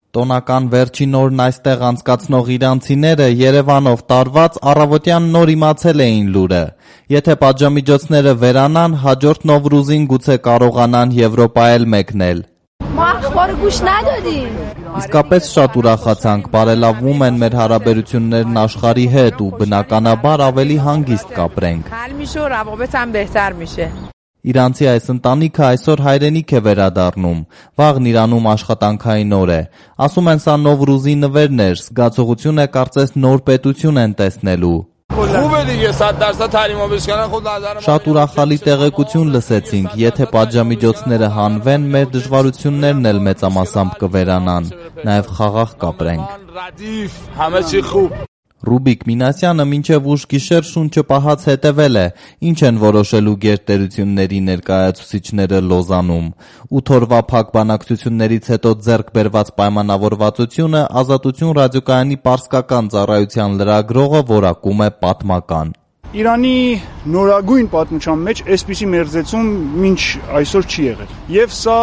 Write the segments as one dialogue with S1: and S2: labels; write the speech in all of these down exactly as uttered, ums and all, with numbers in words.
S1: Տոնական վերջին օրն այստեղ անցկացնող իրանցիները Երևանով տարված առավոտյան նոր իմացել էին լուրը. եթե պատժամիջոցները վերանան, հաջորդ Նովրուզին գուցե կարողանան Եվրոպա էլ մեկնել։ Իսկապես շատ ուրախացանք, բարելավում են մեր հարաբերություններն աշխարհի հետ ու բնականաբար ավելի հանգիստ կապրենք։ Իրանցի այս ընտանիքը այսօր հայրենիք է վերադառնում, վաղն Իրանում աշխատանքային օր է։ Ասում են, սա Նովրուզի նվերն էր, զգացողություն է կարծես նոր պետություն են տեսնելու։ Շատ ուրախալի տեղեկություն լսեցինք, եթե պատժամիջոցները հանվեն, մեր դժվարություններն էլ մեծամասամբ կվերանան, նաև խաղաղ կապրենք։ Ռուբիկ Մինասյանը մինչև ուշ գիշեր շունչը պահած հետևել է, ինչ են որոշելու գերտերությունների ներկայացուցիչները Լոզանում։ Ութ օրվա փակ բանակցություններից հետո ձեռք բերված պայմանավորվածությունը Ազատություն ռադիոկայանի պարսկական ծառայության լրագրողը որակում է պատմական։
S2: Իրանի նորագույն պատմության մեջ այսպիսի մերձեցում մինչ այսօր չի եղել։ Եվ սա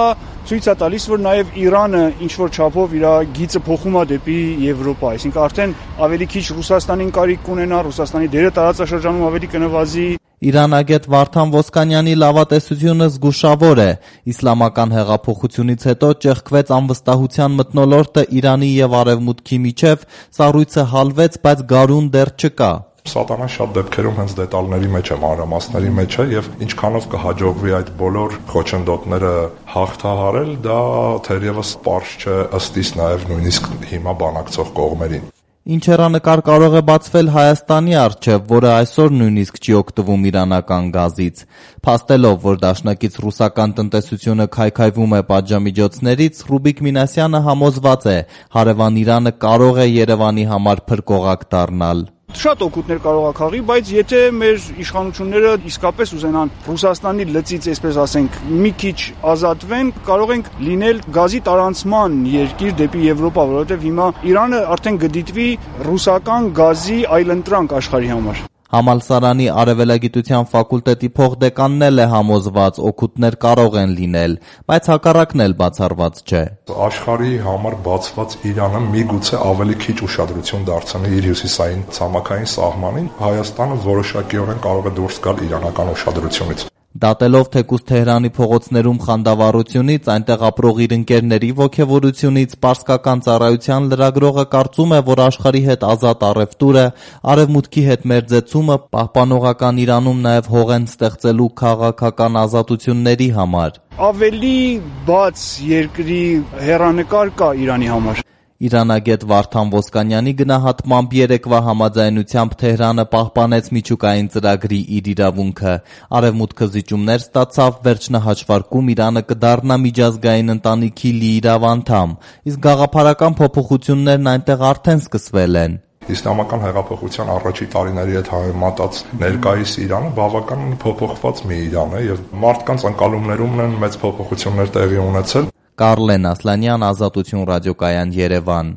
S2: ցույց է տալիս, որ նաև Իրանը ինչ-որ չափով իր գիծը փոխում է դեպի Եվրոպա, այսինքն արդեն ավելի քիչ Ռուսաստանին կարիք կունենա, Ռուսաստանի դերը տարածաշրջանում ավելի կնվազի։
S1: Իրանագետ Վարդան Ոսկանյանի լավատեսությունը զգուշավոր է։ Իսլամական հեղափոխությունից հետո ճեղքվեց անվստահության մթնոլորտը Իրանի եւ Արևմուտքի միջև, սառույցը հալվեց, բայց գարուն դեռ չկա։
S3: Սատանան շատ դեպքերում հենց դետալների մեջ է, մանրամասների մեջ է եւ ինչքանով կհաջողվի այդ բոլոր խոչընդոտները հաղթահարել, դա թերևս պարզ չէ ըստ իս նաեւ նույնիսկ հիմա բանակցող կողմերին։
S1: Ինչ հեռանկար կարող է բացվել Հայաստանի առջև, որը այսօր նույնիսկ չի օգտվում իրանական գազից։ Փաստելով, որ դաշնակից ռուսական տնտեսությունը քայքայվում է պատժամիջոցներից, Ռուբիկ Մինասյանը համոզված է, հարևան Իրանը կարող է Երևանի համար փրկողակ դառնալ։
S2: Շատ օգուտներ կարող է քաղի, բայց եթե մեր իշխանությունները իսկապես ուզենան Ռուսաստանի լծից, այսպես ասենք, մի քիչ ազատվեն, կարող ենք լինել գազի տարանցման երկիր դեպի Եվրոպա, որովհետև հիմա Իրանը արդեն կդիտվի ռուսական գազի այլընտրանք աշխարհի համար։
S1: Համալսարանի արևելագիտության ֆակուլտետի փոխդեկանն էլ է համոզված, օգուտներ կարող են լինել, բայց հակառակն էլ բացառված չէ։
S3: Աշխարհի համար բացված Իրանը միգուցե ավելի քիչ ուշադրություն դարձնի իր հյուսիսային ցամաքային սահմանին, Հայաստանը որոշակիորեն կարող է դուրս գալ իրանական ուշադրությունից։
S1: Դատելով թեկուզ Թեհրանի փողոցներում խանդավառությունից, այնտեղ ապրող իր ընկերների ոգևորությունից, պարսկական ծառայության լրագրողը կարծում է, որ աշխարհի հետ ազատ առևտուրը, արևմուտքի հետ մերձեցումը պահպանողական Իրանում նաև հող են ստեղծելու քաղաքական ազատությունների համար։
S2: Ավելի բաց երկրի հեռանկար կա Իրանի համար։
S1: Իրանագետ Վարդան Ոսկանյանի գնահատմամբ երեկվա համաձայնությամբ Թեհրանը պահպանեց միջուկային ծրագրի իր իրավունքը։ Արևմուտքը զիջումներ ստացավ, վերջնահաշվարկում Իրանը կդառնա միջազգային ընտանիքի լիիրավ անդամ, իսկ գաղափարական փոփոխություններն այնտեղ արդեն սկսվել են։
S3: Իսլամական հեղափոխության առաջի տարիների հետ համեմատած ներկայիս Իրանը բավական փոփոխված մի Իրան է եւ մարդկանց ընկալումներում են մեծ փոփոխություններ տեղի ունեցել։
S1: Կարլեն Ասլանյան, Ազատություն ռադիոկայան, Երևան։